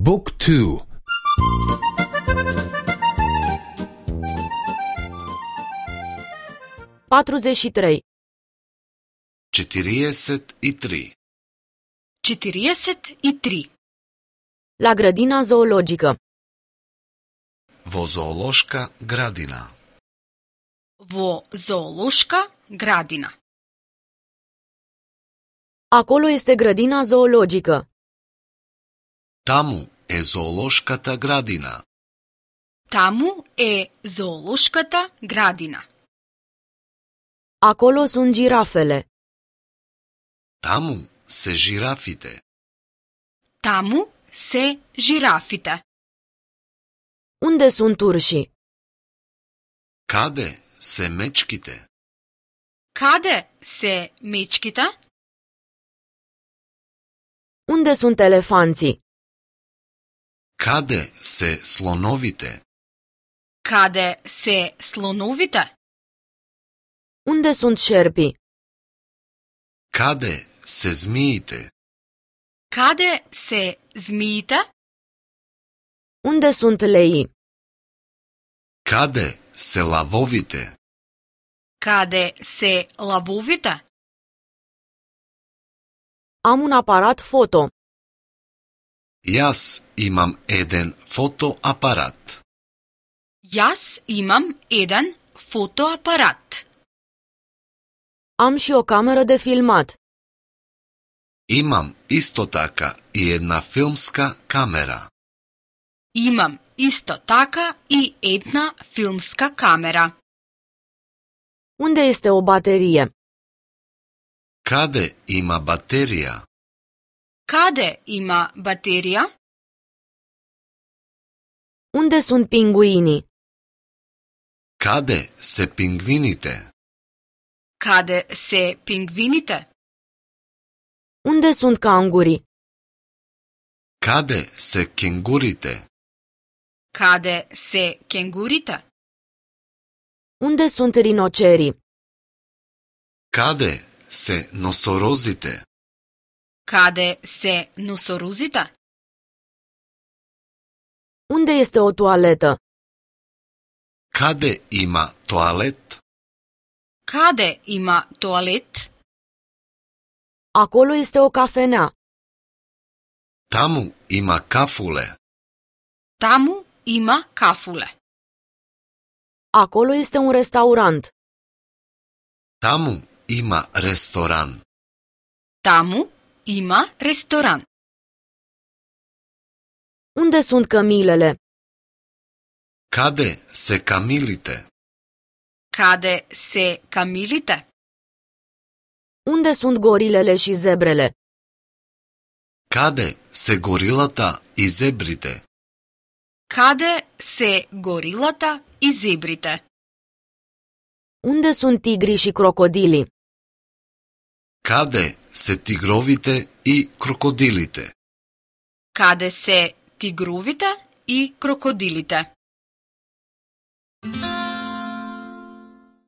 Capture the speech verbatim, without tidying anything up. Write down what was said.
Book two. patruzeci și trei. четириесет и три. четириесет и три. La grădina zoologică. Во зоолошка градина. Во зоолошка градина. Acolo este grădina zoologică. Таму е зоолошката градина. Таму е зоолошката градина. Acolo sunt girafele. Таму се жирафите. Таму се жирафите. Unde sunt urșii? Каде се мечките? Каде се мечките? Unde sunt elefanții? Каде се слоновите? Каде се слоновите? Unde sunt șerpii? Каде се змиите? Каде се змиите? Unde sunt leii? Каде се лавовите? Каде се лавовите? Am un aparat foto. Јас имам еден фотоапарат. Јас имам еден фотоапарат. Am și o cameră de filmat. Имам исто така и една филмска камера. Имам исто така и една филмска камера. Unde este o baterie? Каде има батерија? Каде има батерија? Unde sunt pinguinii? Каде се пингвините? Каде се пингвините? Unde sunt cangurii? Каде се кенгурите? Каде се кенгурите? Unde sunt rinocerii? Каде се носорозите? Каде се носорозите? Unde este o toaletă? Каде има тоалет? Каде има тоалет? Acolo este o cafenea. Таму има кафуле. Таму има кафуле. Acolo este un restaurant. Таму има ресторан. Таму има ресторан. Unde sunt cămilele? Каде се камилите? Каде се камилите? Unde sunt gorilele și zebrele? Каде се горилата и зебрите? Каде се горилата и зебрите? Unde sunt tigrii și crocodilii? Каде се тигровите и крокодилите? Каде се тигровите и крокодилите?